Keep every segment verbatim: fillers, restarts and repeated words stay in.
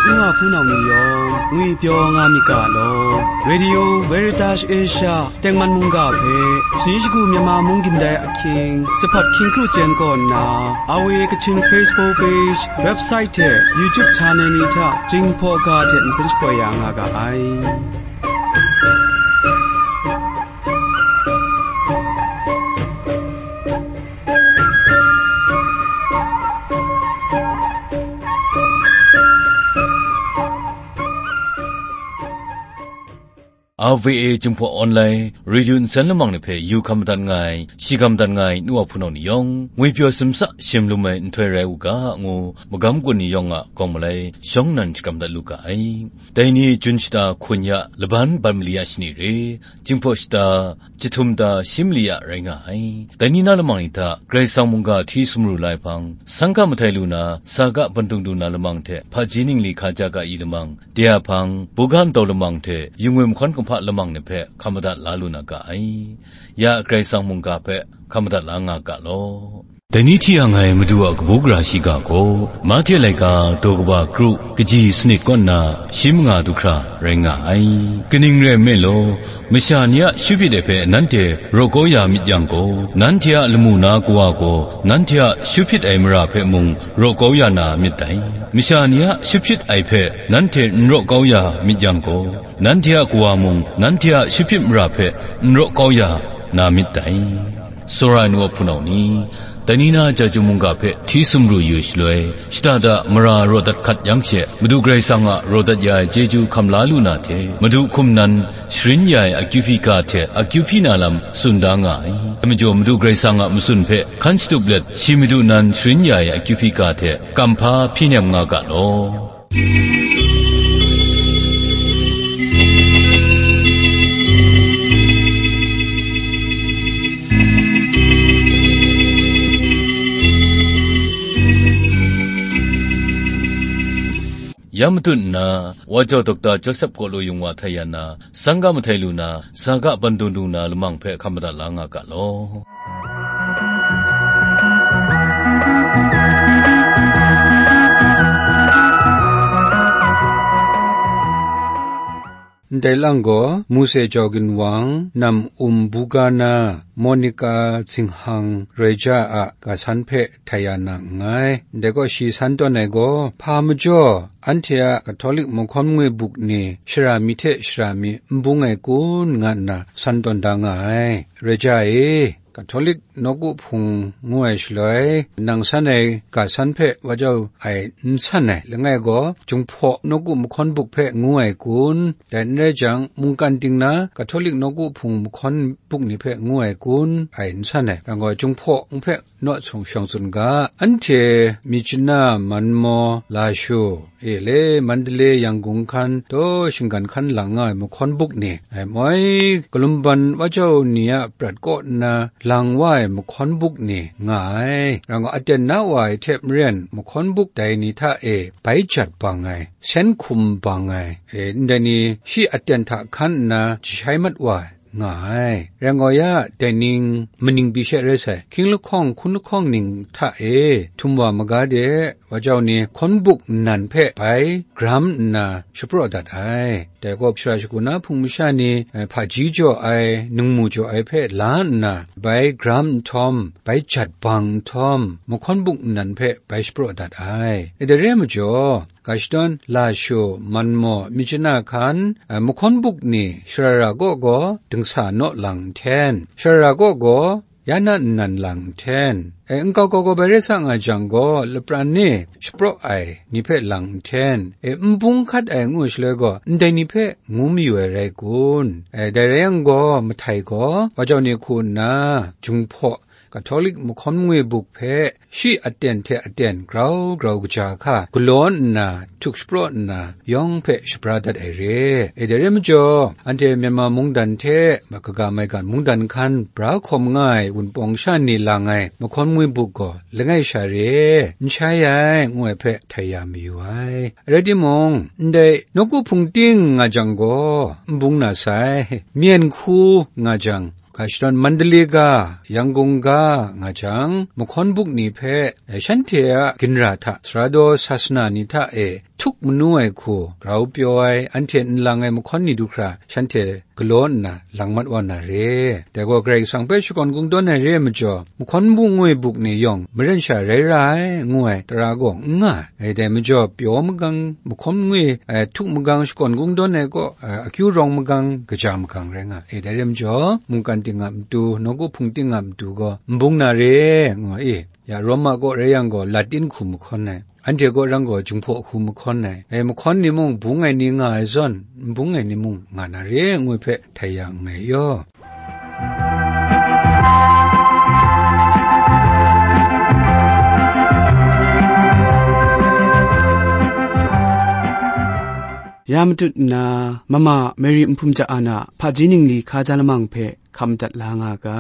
Nwa hpunau ni yawng ngwipyaw nga myit ga law. Radio Veritas Asia tengman mungga hpe, sani shagu Myanmar mung gindai ahkying, Jahpat hkying kru chyen kaw nna, R V A Kachin Facebook page, website hte YouTube channel ni hta Jinghpaw ga hte nsen shapoi ya nga ga ai. R V A Jinghpaw Online Radio nsen lamang ni hpe yu hkam madat nga ai, shi hkam madat nga ai nu wa hpunau ni yawng, ngwipyaw simsa shim lum ai nhtoi rai u ga, ngu magam gun ni yawng a gawng malai shawng nan shakram dat lu ga ai. Dai ni Jun shata hkun ya laban ban mali a shani re, Jinghpaw shata jahtum da shi mali a rai nga ai. Dai ni na lamang ni hta Karai Kasang mungga hti sumru la ai hpang, sangka mahtai lu na, saga bandung du na lamang hte hpaji ningli hkaja ga i lamang, de a hpang, buga ntau lamang hte yungwim hkawn kumhpa lamang ni hpe hkam madat la lu na ga ai. Ya Karai Kasang mungga hpe hkam madat la nga ga law. Dai ni hti yang ai Madu a kabu gara shiga gaw, Mahte laika daw kaba kru, kaji sanit kaw nna shi manga du hkra rai nga ai. Kaning rai nme law, masha ni a shupit ai hpe nanhte raw kau ya myit yang gaw, nanhte a lamu na Kawa gaw nanhte a shupit ai mara hpe mung raw kau ya na myit dai. Masha ni a shupit ai hpe nanhte n raw kau ya myit yang gaw, nanhte a Kawa mung nanhte a shupit mara hpe n raw kau ya na myit dai. Tsawra ai nu a hpunau ni, dai ni na Jahtum mungga hpe hti sumru yu ai shaloi, shada da mara raw dat hkat yang she, Madu Karai Kasang a raw dat ya ai chyeju hkam la lu na hte, Madu hkum nan sharin ya ai akyu hpyi ga hte akyu hpyi na lam tsun da nga ai. Dai majaw, Madu Karai Kasang a matsun hpe hkan shatup let, shi Madu nan sharin ya ai akyu hpyi ga hte kamhpa hpyi nem nga ga law. Ya matut nna, Wa Jau Dokta Joseph Kawlaw Yung Wa htai ya na, sangga mahtai lu na, saga bandung du na lamang hpe hkam madat la nga ga law. Ndai lang gaw, Mose Jau Ginwang, Nam Um Buga na, Monica Zinghang Reja a ga san hpe htai ya na nngai. Ndai gaw shi san tawn ai gaw, hpa majaw, anhte a Katolik mahkawn ngwi buk ni shara mi hte shara mi n bung ai kun, nga nna san tawn da nga ai. Reja e, Katolik nawku hpung ngu ai shaloi, nang san ai ga san hpe wa jau ai n san ai, langai gaw, Jinghpaw nawku mahkawn buk hpe ngu ai kun, dai n rai jang, mungkan ting na Katolik nawku hpung mahkawn buk ni hpe ngu ai kun, ai n san ai, rai gaw, Jinghpaw hpe naw shawng tsun ga, anhte Myitkyina, Manmaw, Lashu, e le, Mandalay, Yangon hkan, taw shinggan hkan lang nga ai mahkawn buk ni, ai moi, kalumban wa jau ni a prat kaw nna lang wa ai mahkawn buk ni nga ai. Rai gaw, aten na wa ai hte maren, mahkawn buk dai ni hta e bai jat bang ai, sen hkum bang ai, e, ndai ni shi aten hta hkan nna jashai mat wa ai, nga ai. Rai gaw ya, dai ning maning pyi she rai sai, hkying lahkawng hkun lahkawng ning hta e htum wa maga de, wa jau ni hkawn buk nnan hpe bai gram nna shapraw dat ai. Dai gaw shara shagu na hpung masha ni, eh, hpaji jaw ai, ningmu jaw ai hpe la nna, bai gram nhtawm, bai jat bang nhtawm, mahkawn buk nnan hpe bai shapraw dat ai. E, dai re ai majaw, ga shadawn Lashu, Manmaw, Myitkyina hkan, eh, mahkawn buk ni sharara kaw gaw dingsa naw lang nhten, sharara kaw gaw ya na nnan lang nhten, eh, nkau kau gaw bai rai sa nga jang gaw, lapran e shapraw ai ni hpe lang nhten, eh, n bung hkat ai ngu shaloi gaw, ndai ni hpe ngu mayu ai rai kun? Eh, dai rai yang gaw, mahtai gaw, wa jau ni hku nna, Jinghpaw Katolik mahkawn ngwi buk hpe shi aten hte aten grau grau kaja hka galaw nna, htuk shapraw nna, yawng hpe shabra dat ai re. E, dai re majaw, anhte Myanmar mungdan hte kaga maigan mungdan hkan bra hkawm nga ai Wunpawng sha ni lang ai mahkawn ngwi buk gaw langai sha re, n shai ai, ngu ai hpe htai ya mayu ai. Rai timung, ndai nawku hpung ting nga jang gaw, n bung na sai, myen hku nga jang, ga shadawn Mandalay ga, Yangon ga nga jang, mahkawn buk ni hpe, eh, shanhte a ginra hta, sara daw sasana ni hta e htuk manu ai hku grau pyaw ai, anhte nlang ai mahkawn ni du hkra shanhte galaw nna lang mat wa na re. Dai gaw Karai Kasang hpe shakawn kungdawn ai re ai majaw, mahkawn bungwi buk ni yawng maren sha rai ra ai, ngu ai tara gaw n nga ai. Dai majaw, pyaw magang, mahkawn ngwi, eh, htuk magang, shakawn kungdawn ai kaw, eh, akyu rawng magang, kaja magang rai nga ai. Dai re majaw, mungkan ting a matu, nawku hpung ting a matu gaw n bung na re, nga i. Ya, Roma kaw rai yang gaw, Latin hku mahkawn ai, anhte kaw rang gaw, Jinghpaw hku mahkawn ai. Dai mahkawn ni mung bung ai ni nga ai zawn, n bung ai ni mung nga na re, ngu hpe htai ya nngai yaw. Ya matut nna, mama Mary Nhpum Ja An a hpaji ningli hkaja lamang hpe hkam dat la nga ga.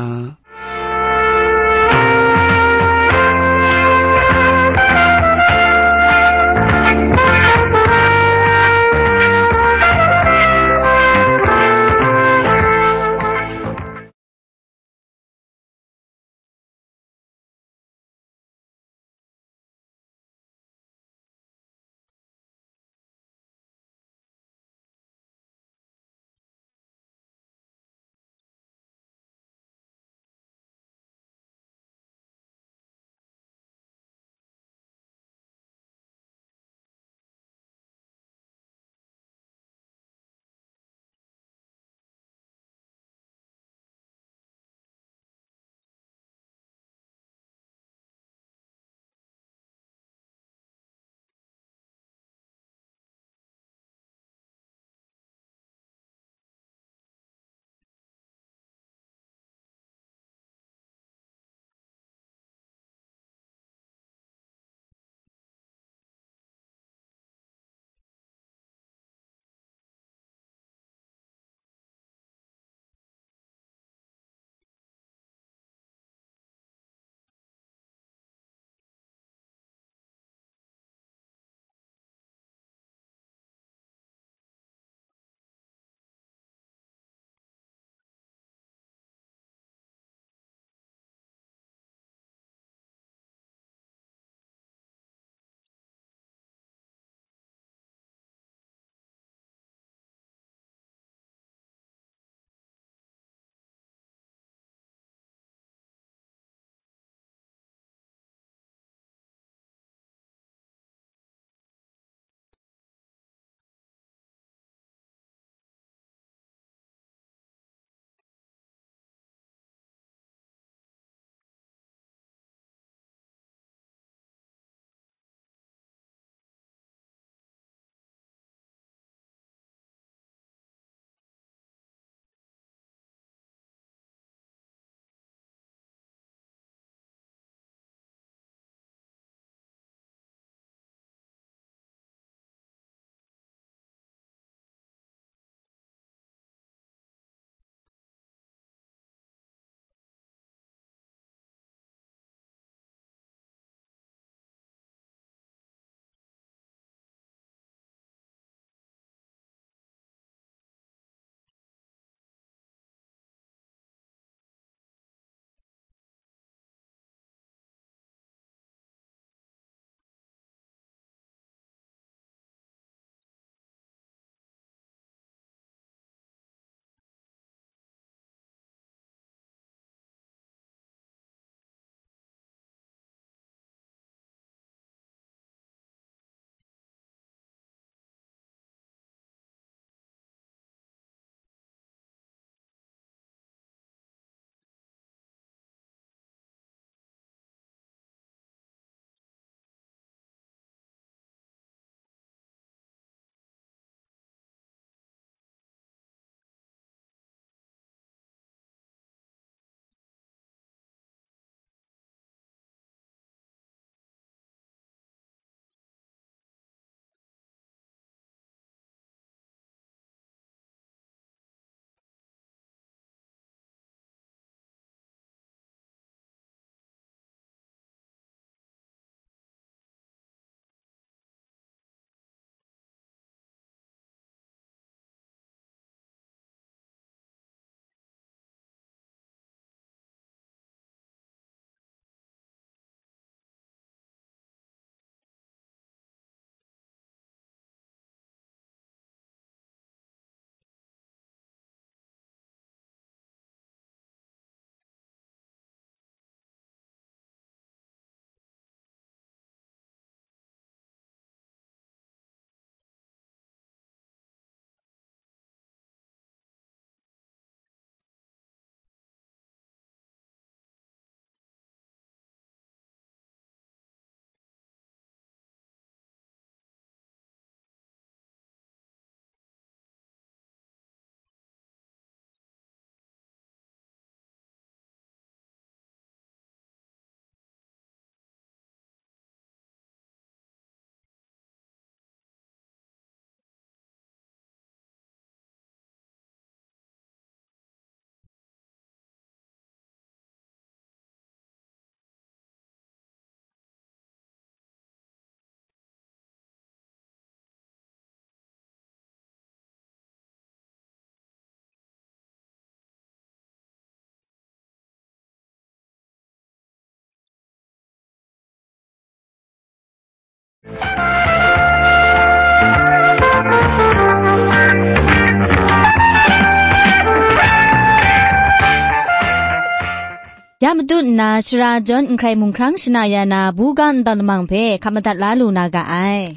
Ya matut nna, shara jawn n hkrai mung hkrang shana ya na, buga ntau lamang hpe hkap madat la lu na ga ai.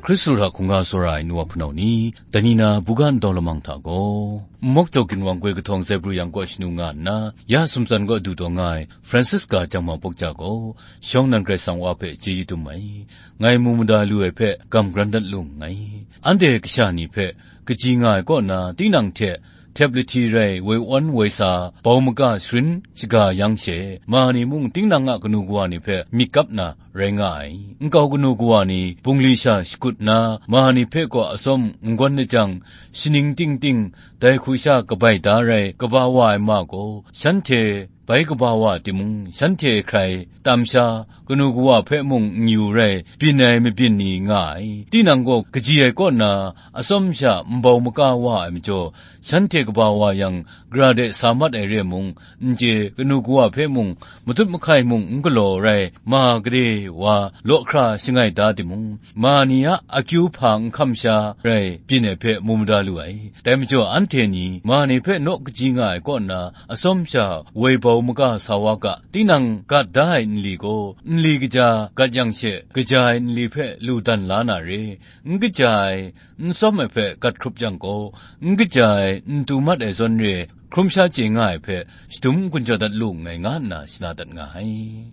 Hkristu hta hkungga tsawra ai nu wa hpunau ni, dai ni na buga ntau lamang hta gaw, Nmawk Jau Ginwang Goi Kahtawng Zebru Yang kaw shanu nga nna, ya sumtsan kaw du taw nga ai Francisca Chyang Ma Pawk Cha gaw, shawng nan Karai Kasang Wa hpe chyeju dum ai, ngai mu mada lu ai hpe gam gran dat lu nngai. Anhte kasha ni hpe kaji nga ai kaw na, tinang hte htep lahti rai woi awn woi sa, bau maga sharin shaga yang she, ma ni mung tinang a kanu kawa ni hpe myit kap na rai nga ai. Nkau kanu kawa ni bungli sha shakut nna, ma ni hpe gaw atsawm n gawn na jang, shaning ting ting dai hku sha kabai da rai kaba wa ai ma gaw, shanhte bai kaba wa timung, shanhte hkrai tam sha, kanu kawa hpe mung n yu rai, byin ai mabyin ni nga ai. Tinang gaw kaji ai kaw na, atsawm sha nbau maga wa ai majaw, shanhte kaba wa yang, gara de sa mat ai re mung, n chye, kanu kawa hpe mung, matut mahkai mung n galaw rai, ma gade wa law hkra shangai da timung, ma ni a akyu hpa n hkam sha rai byin ai hpe mu mada lu ai. Dai majaw, anhte ni ma ni hpe naw kaji nga ai kaw nna, atsawm sha woi bau maga sa wa ga, tinang gat da ai nli gaw, nli kaja gat yang she, kaja ai nli hpe lu dan la na re, n kaja ai, n tsawm ai hpe gat hkrup yang gaw, n kaja ai, n tu mat ai zawn re, hkrum sha chye nga ai hpe, shadum n-gun jaw dat lu nngai, nga nna shana dat nga ai.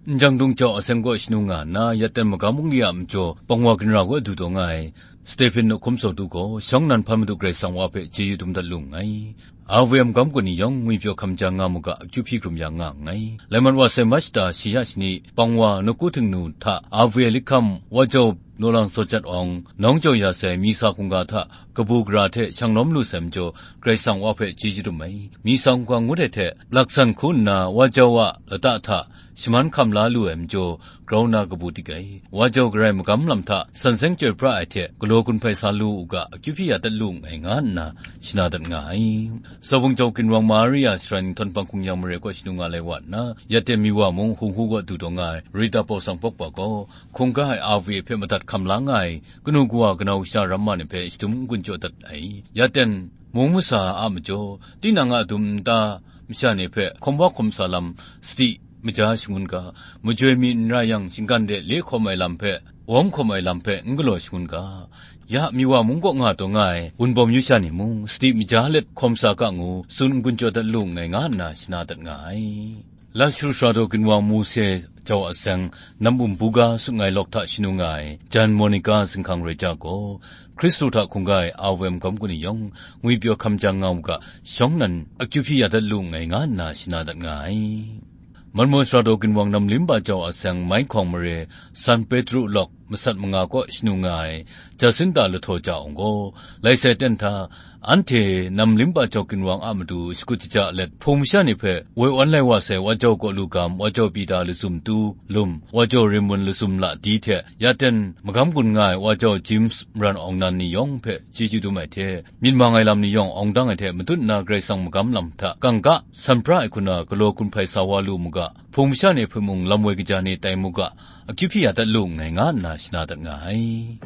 Njang dung jau aseng kaw shanu nga nna, yaten magam wunli a majaw pangwa ginra kaw du taw nga ai, Stephen Hkum Sawtu gaw, shawng nan hpan Madu Karai Kasang Wa hpe chyeju dum dat lu nngai. R V M magam kaw ni yawng ngwipyaw hkam ja nga mu ga, akyu hpyi hkrum ya nga nngai. Lai mat wa sai March shata shi ya shani, pangwa nawku htingnu hta R V A likham wa jau Nawlang Sawjat Awng, nawng jau ya sai Misa hkungga hta kabu gara hte shang lawm lu sai majaw, Karai Kasang Wa hpe chyeju dum ai. Misa hkungga ngut ai hte, laksan hku nna wa jau a lata hta shaman hkam la lu ai majaw, grau na kabu dik ai. Wa jau garai magam lam hta san seng chyoi pra ai hte, galaw gun hpai sa lu u ga, akyu hpyi ya dat lu nngai, nga nna shana dat nga ai. Sawbung jau ginwang Maria shara nhtawm hpang hkungyan mare kaw shanu nga lai wa nna, yaten mi wa mung hung hu kaw du taw nga ai Rita Paw Sang Pawk Wa gaw, hkungga ai R V A hpe madat hkam la nga ai kanu kawa kanau kasha ramma ni hpe shadum n-gun jaw dat ai. Yaten mung masa a majaw, tinang a dum nta masha ni hpe hkawm wa hkawm sa lam sadi maja shangun ga, majoi mi n ra yang, shinggan de le hkawm ai lam hpe, wawm hkawm ai lam hpe n galaw shangun ga, ya mi wa mung kaw nga taw nga ai wunbawm yu sha ni mung, sadi maja let hkawm sa ga ngu, tsun n-gun jaw dat lu nngai, nga nna shana dat nga ai. Lashru Sara Daw Ginwang Mose jau aseng, Nam Bum Buga sut ngai lawk hta shanu nga ai, Jan Monica zinghkang rai ja gaw, Hkristu hta hkungga ai R V M magam kaw ni yawng, ngwipyaw hkam ja nga u ga, shawng nan akyu hpyi ya dat lu nngai, nga nna shana dat nga ai. Malmaw Sara Daw Ginwang Nam Limba jau aseng, Mai Hkawng mare, San Petru lawk masat manga kaw shanu nga ai, Jacinta Lahtaw Ja Awng gaw, lai sai ten hta, anhte Nam Limba jau ginwang a matu shakut shaja let, Hpung masha ni hpe woi awn lai wa sai Wa Jau Kaw Lu Gam, Wa Jau Pita Lazum Tu Lum, Wa Jau Rimmun Lazum La Di hte, ya ten magam gun nga ai Wa Jau James Maran Awng Nan ni yawng hpe chyeju dum ai hte, myit mang ai lam ni yawng awng dang ai hte matut nna Karai Kasang magam lam hta kangka san pra ai hku na galaw gun hpai sa wa lu mu ga, Hpung masha ni hpe mung lam woi kaja ni tai mu ga, akyu hpyi ya dat lu nngai, nga nna shana dat nga ai.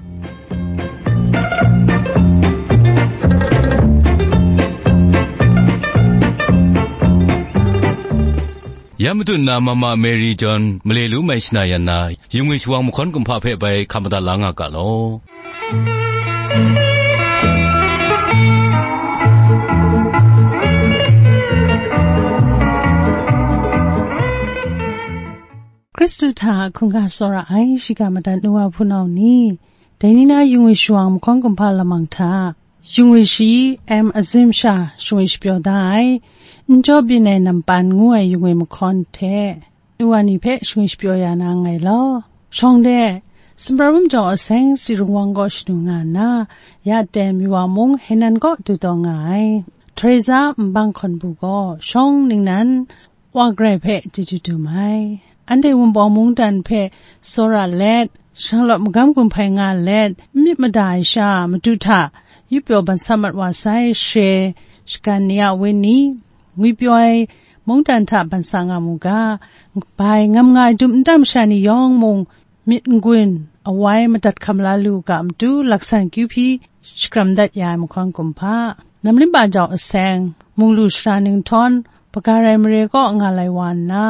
Ya matut nna Mama Mary John male lu mai shana yan na, yungwi shawang mahkawn kumhpa hpe bai hkam madat la nga ga law. Hkristu hta hkungga tsawra ai shiga madat nu wa hpunau ni, dai ni na yungwi shawang mahkawn kumhpa lamang hta, yungwi shi M Azim sha shingwi shapyaw da ai, n jaw byin ai nampan ngu ai yungwi mahkawn hte, nu wa ni hpe shingwi shapyaw ya na nngai law. Shawng de, Sumra Wunpawng Jau Aseng Sirung Wang kaw shanu nga nna, ya ten mi wa mung Henan kaw du taw nga ai, Teresa Nbang Hkawn Bu gaw shawng ningnan wa garai hpe chyeju dum ai. Anhte Wunpawng mungdan hpe tsawra let, shanglawt magam gun hpai nga let, n myit mada ai sha madu hta, yupyaw ban sa mat wa sai, she, shagan ni a wenyi, ngwipyaw ai mungdan hta ban sa nga mu ga. Bai ngam nga ai dum nta masha ni yawng mung, myit n-gun awai madat hkam la lu ga matu, laksan kyu hpyi shakram dat ya ai mahkawn kumhpa. Namlimba jau aseng, munglu sara ninghtawn, Bagarai mare kaw nga lai wa nna,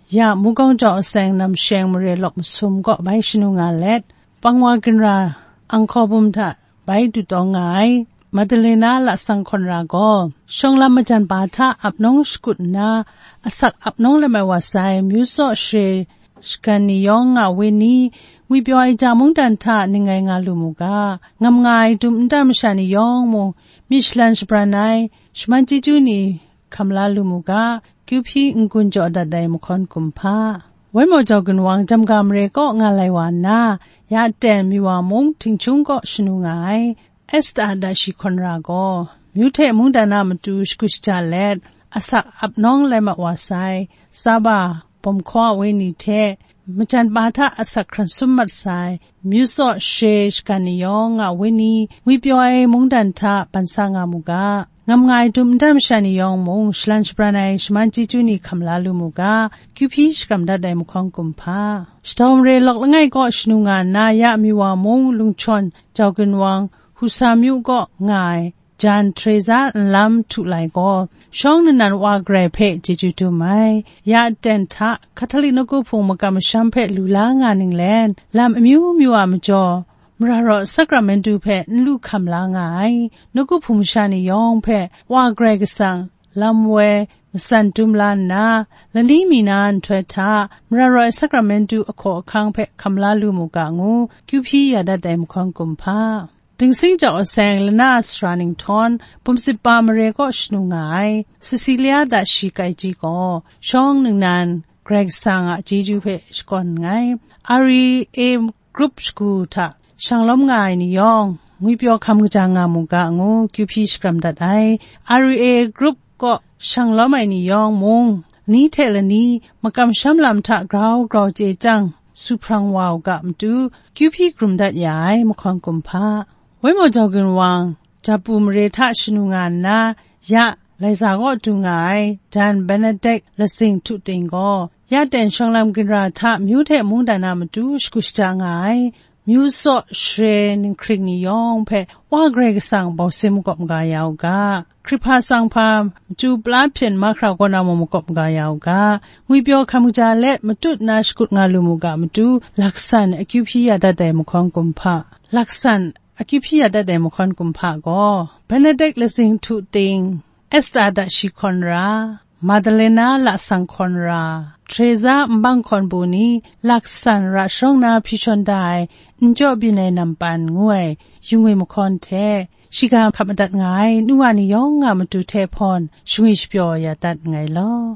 ya Mugawng jau aseng, namsheng mare lawk masum kaw bai shanu nga let, pangwa ginra anghkaw bum hta bai dutawng nga ai Madalena Lasang Hkawn Ra gaw, shawng lam majan ba hta ap nawng shakut nna, asak ap nawng lam ai wa sai, myu tsaw share shagan ni yawng nga we ni, ngwipyaw ai ja mungdan hta ning ngai nga lu mu ga. Ngam nga ai dum nta masha ni yawng mung, myit shalan shabran ai, shaman chyeju ni hkam la lu mu ga, kyu hpyi n-gun jaw dat ai mahkawn kumhpa. Wai maw jau ginwang, Jamga mare kaw nga lai wa nna, ya ten Miwa mung Htingchung kaw shanu nga ai, Esta Dashi Hkawn Ra gaw, myu hte mungdan a matu shagu shaja let, asak ap nawng lai mat wa sai, Saba bawm hkaw a wenyi hte, majan pa hta asak hkran sum mat sai, myu tsaw share shagan ni yawng nga wenyi, ngwipyaw ai mungdan hta ban sa nga mu ga. Ngam nga ai dum nta masha ni yawng mung, shalan shabran ai shaman chyeju ni hkam la lu mu ga, kyu hpyi shakram dat ai mahkawn kumhpa. Shadaw mare lawk langai kaw shanu nga nna, ya Miwa mung Lungchawn jau ginwang, Husa myu kaw nga ai, jan Teresa nlam htu lai gaw, shawng nnan wa Karai hpe chyeju dum ai. Ya ten hta, Catholic nawku hpung makam masham hpe lu la nga ninglen, lam amyu myu a majaw, mara raw sakramentu hpe n lu hkam la nga ai, nawku hpung masha ni yawng hpe, wa Karai Kasang, lam woi, matsan dum la nna, lani mi na nhtoi hta, mara raw ai sakramentu ahkaw ahkang hpe hkam la lu mu ga ngu, kyu hpyi ya dat ai mahkawn kumhpa. Dingsing jau aseng, lana sara ninghtawn, Bumsitpa mare kaw shanu nga ai, Cecilia Dashi Kaiji gaw, shawng ningnan, Karai Kasang a chyeju hpe shakawn nngai. R E A group shagu hta shanglawm nga ai ni yawng, ngwipyaw hkam kaja nga mu ga ngu, kyu hpyi shakram dat ai. R E A group kaw shanglawm ai ni yawng mung, ni hte lani makam masham lam hta grau grau chye chyang, su hprang wa u ga matu, kyu hpyi hkrum dat ya ai mahkawn kumhpa. Wai maw jau ginwang, Japu mare hta shanu nga nna, ya Laiza kaw du nga ai, jan Benedict Lasing Htu Ting gaw, ya ten shawng lam ginra hta myu hte mungdan a matu shagu shaja nga ai, myu tsaw share ninghkring ni yawng hpe Wa Karai Kasang bawsin makawp maga ya u ga. Hkrihpa tsang hpa, machyu pala hpyen mahkra kaw na mung makawp maga ya u ga. Ngwipyaw hkam kaja let matut na shakut nga lu mu ga matu, laksan akyu hpyi ya dat ai mahkawn kumhpa. Laksan akyu hpyi ya dat ai mahkawn kumhpa gaw, Benedict Lasing Htu Ting, Esta Dashi Hkawn Ra, Madalena Lasang Hkawn Ra, Teresa Nbang Hkawn Bu ni laksan ra sharawng na hpyi shawn da ai, n jaw byin ai nampan ngu ai, yu ngwi mahkawn hte, shiga hkap madat nga ai, nu wa ni yawng a matu hte hpawn, shangwi shapyaw ya dat nngai law.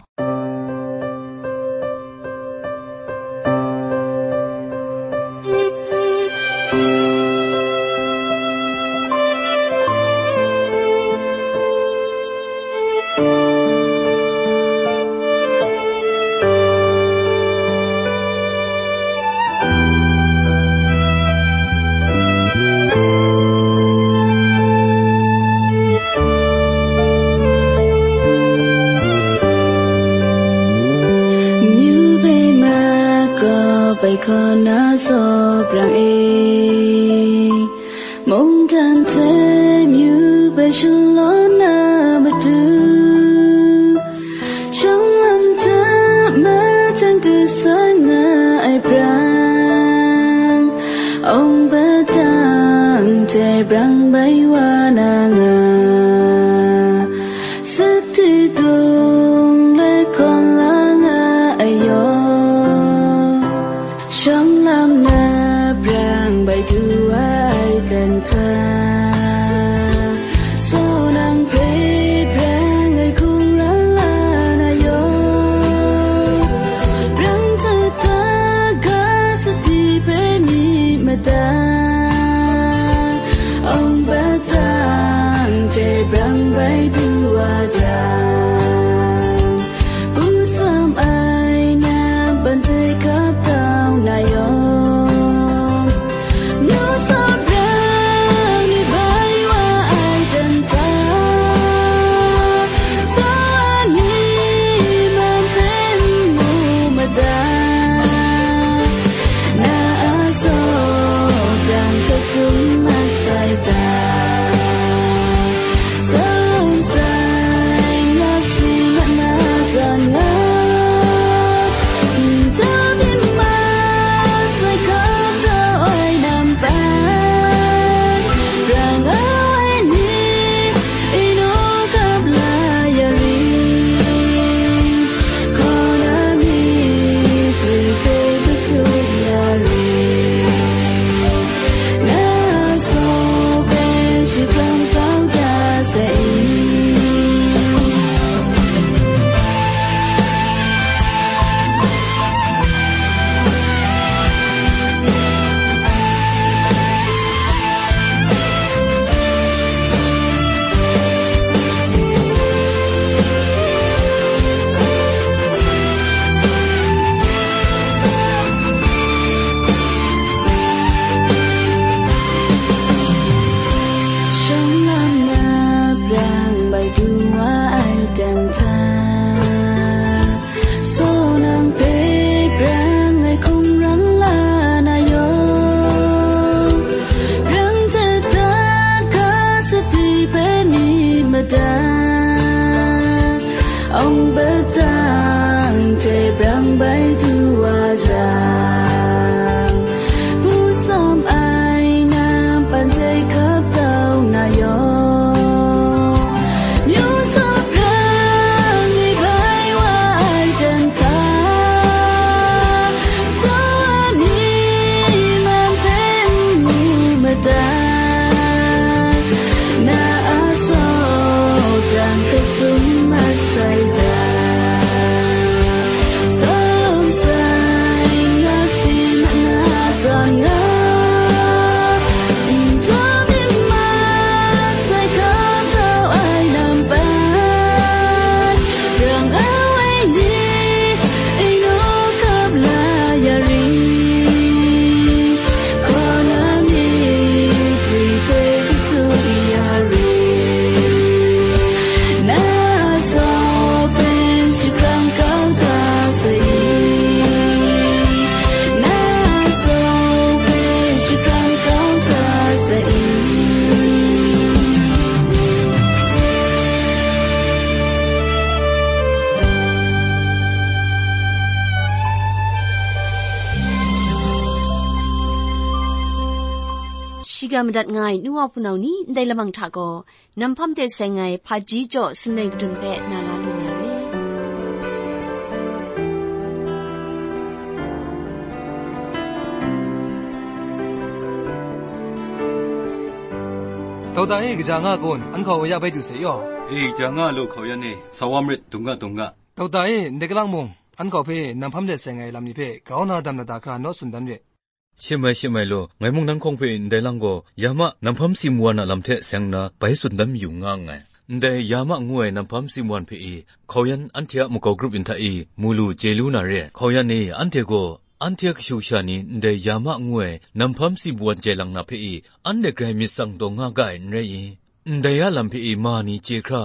Myu bai ma kaw bai kaw na saw brang e, mungdan hte myu bai shalaw na matu, shawng lam hta machang kasa nga ai brang, awng padang hte brang bai wa na nga, sati dung lai kawn la nga ai yaw, shawng lam na brang bai du ai jan hta, saw nang hpe Ong patang hte brang bai du wa jang, hpu sawm ai nampan hte hkap kau na yawng, myu sawp hkrang ni bai wa ai dan hta, tsawa mi man hpe n mu madat. Na a saw pran hpe sum masai hta, salum sai nga si mat na zawn nga, njaw myit masai hkam kau ai nampan, rang awai ni, inu kap la ya ri, hkaw na myit gwi hpe kasu ya ri, na saw hpe shakrang kau ga sai, na saw hpe shakrang kau ga sai. Shiga madat nga ai nu wa hpunau ni, ndai lamang hta gaw, nam hpam de seng ai hpaji jaw sumren kadun hpe na la lu na re. Dokta e, kaja nga kun, an hkau ya bai du se yaw. E, kaja nga lu, hkau yan e, sa wa marit, dung ga, dung ga. Dokta e, ndai kalang mung, an hkau hpe nam hpam de seng ai lam ni hpe grau na dam na da hkra naw tsun dan re. Shim ai, shim ai law, ngai mung nang hkawng hpe ndai lang gaw, ya ma, nam hpam si mwan a lam hte seng nna, bai tsun dan mayu nga nngai. Ndai ya ma ngu ai nam hpam si mwan hpe e, hkau yan anhte a makau grup yin hta e, mu lu, chye lu na re. Hkau yan e, anhte gaw, anhte a kashu kasha ni ndai ya ma ngu ai nam hpam si mwan jai lang na hpe e, anhte grai myit tsang taw nga ga ai n rai i? Ndai a lam hpe e ma ni chye hkra,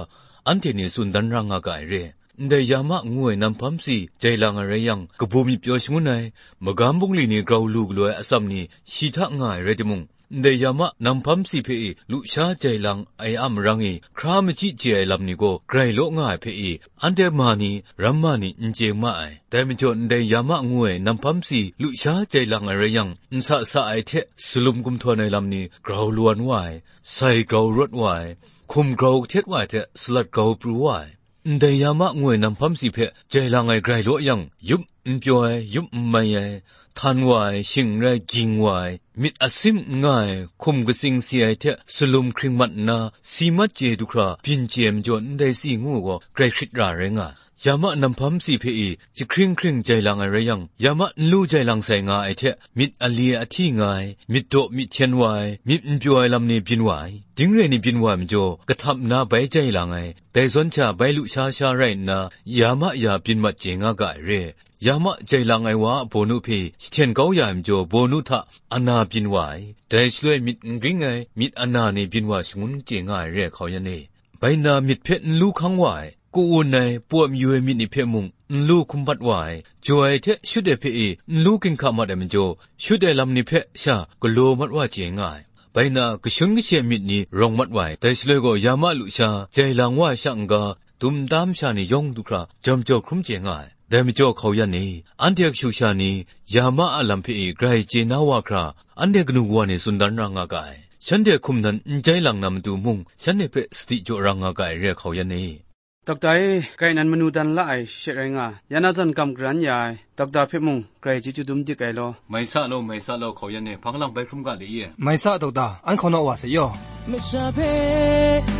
anhte ni tsun dan ra nga ga ai re. Ndai ya ma ngu ai nam hpam si jai lang ai rai yang, kabu myit pyaw shangun ai, magam bungli ni grau lu galaw ai atsam ni shi hta nga ai rai timung, ndai ya ma nam hpam si hpe e lusha jai lang ai a marang e hkra machyi chye ai lam ni gaw grai law nga ai hpe e, anhte ma ni, ramma ni n chye ma ai. Dai majaw, ndai ya ma ngu ai nam hpam si lusha jai lang ai rai yang, nsa sa ai hte salum gumhtawn ai lam ni grau lawan wa ai, sai grau rawt wa ai, hkum grau kahtet wa ai hte salat grau pru wa ai. Ndai ya ma ngu ai nam hpam si hpe jai lang ai grai law yang, yup n pyaw ai, yup n mai ai, htan wa ai, shing n rai, ging wa ai, myit asim n nga ai, hkum katsing si ai hte salum hkring mat nna, si mat chye du hkra byin chye ai majaw, ndai si ngu ai gaw grai hkrit ra rai nga ai. Ya ma nam hpam si hpe e jahkring hkring jai lang ai rai yang, ya ma n lu jai lang sai nga ai hte, myit ali ahti nga ai, myit daw myit hten wa ai, myit n pyaw ai lam ni byin wa ai, ding re ni byin wa ai majaw, kahtap nna bai jai lang ai, dai zawn sha bai lusha sha rai nna, ya ma ya byin mat chye nga ga ai re. Ya ma jai lang ai wa a bawnu hpe jahten kau ya ai majaw, bawnu hta ana byin wa ai, dai shaloi myit n gring ai, myit ana ni byin wa shangun chye nga ai re, hkau yan e. Bai nna myit hpe n lu hkang wa ai, ku-un ai, pawt mayu ai myit ni hpe mung n lu hkum mat wa ai, jaw ai hte shut ai hpe e n lu ginhka mat ai majaw, shut ai lam ni hpe sha galaw mat wa chye nga ai. Bai nna, kashun kashe myit ni rawng mat wa ai, dai shaloi gaw ya ma lusha jai lang wa ai sha n-ga, dum tam sha ni yawng du hkra jawm jaw hkrum chye nga ai. Dai majaw, hkau yan e, anhte a kashu kasha ni ya ma a lam hpe e grai chye na wa hkra, anhte kanu wa ni tsun dan ra nga ga ai. Shanhte hkum nan n jai lang na matu mung, shanhte hpe sadi jaw ra nga ga ai re, hkau yan e. Dokta e, grai nan manu dan la ai she rai nga, ya na zawn gam garan ya ai, dokta hpe mung grai chyeju dum dik ai law. Mai sa law, mai sa law, hkau yan e, hpang lang bai hkrum ga le ye. Mai sa, dokta, an hkau naw wa se yaw. Masha hpe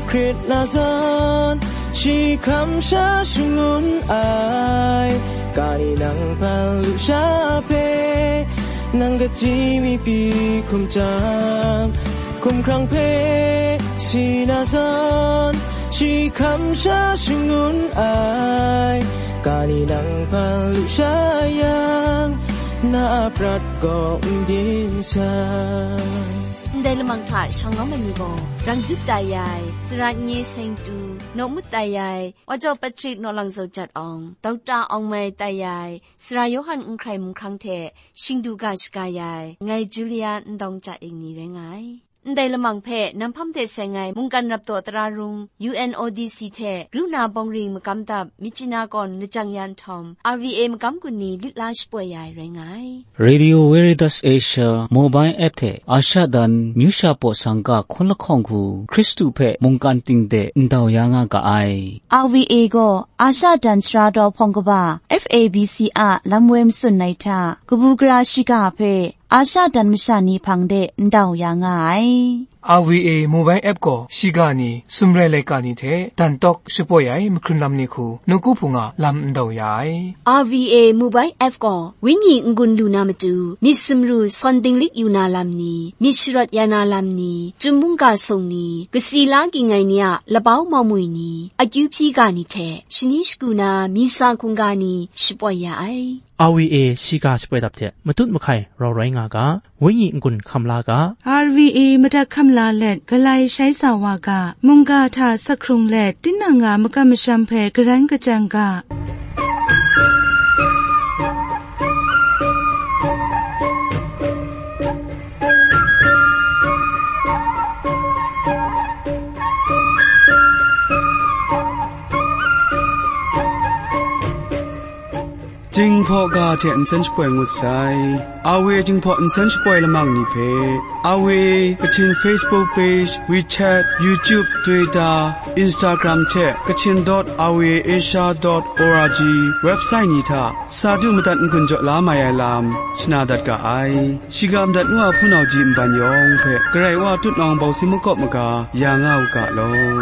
Hkrit na zawn, shi hkam sha shangun ai, ga ni nang hpan lusha hpe, nang kaji mi pyi hkum jang, hkum hkrang hpe si na zawn, shi hkam sha shangun ai, ga ni nang hpan lusha yang, na a prat gaw n byin sai. Ndai lamang hta shang lawm ai ni gaw, Rang Dut tai ai, Sara Nye Seng Tu, Naw Mut tai ai, Wa Jaw Patrick Naw Lang Zaw Jat Awng, Dokta Awng Mai tai ai, Sara Yawhan N Hkrai Mung Hkrang hte Shing Du Ga Shaga ya ai, ngai Julia Ndawng Ca Ing ni rai nga ai. ndai lamang hpe nang hpang de seng ai mungkan rap taw tara rung, U N O D C hte ru na bawng ring magam dap Myitkyina kawn lajang ya nhtawm, R V A magam gun ni lit la shapoi ya ai rai nga ai. Radio Veritas Asia mobile app hte Asha dan myu sha paw sangka hkun lahkawng hku Hkristu hpe mungkan ting de ndau ya nga ga ai. R V A gaw Asha dan sara daw hpawng kaba F A B C a lam woi matsun ai hta, kabu gara shiga hpe Asha dan masha ni hpang de ndau ya nga ai. R V A mobile app gaw shiga ni, sumrai laika ni hte dan tawk shapoi ai mahkrun lam ni hku nawku hpung a lam ndau ya ai. R V A mobile app gaw wenyi n-gun lu na matu, myit sumru sawn dinglik yu na lam ni, myit sharawt ya na lam ni, chyum mungga sung ni, kasi la ging ai ni a labau maumwi ni, akyu hpyi ga ni hte shani shagu na misa hkungga ni shapoi ya ai. R V A shiga shapoi dap hte matut mahkai rau rai nga ga, wenyi n-gun hkam la ga. R V A madat hkam la let, galai shai sa wa ga, mungga hta sak hkrung let, tinang a makam masham hpe garan kachang ga. Jinghpaw ga hte nsen shapoi ngut sai. R V A Jinghpaw nsen shapoi lamang ni hpe, R V A Kachin Facebook page, WeChat, YouTube, Twitter, Instagram hte Kachin dot R V A Asia dot org website ni hta sa du madat n-gun jaw la mai ai lam shana dat ga ai. Shiga madat ngu a hpunau ji nban yawng hpe Karai Wa tutnawng bawsi makawp maga ya nga u ga law.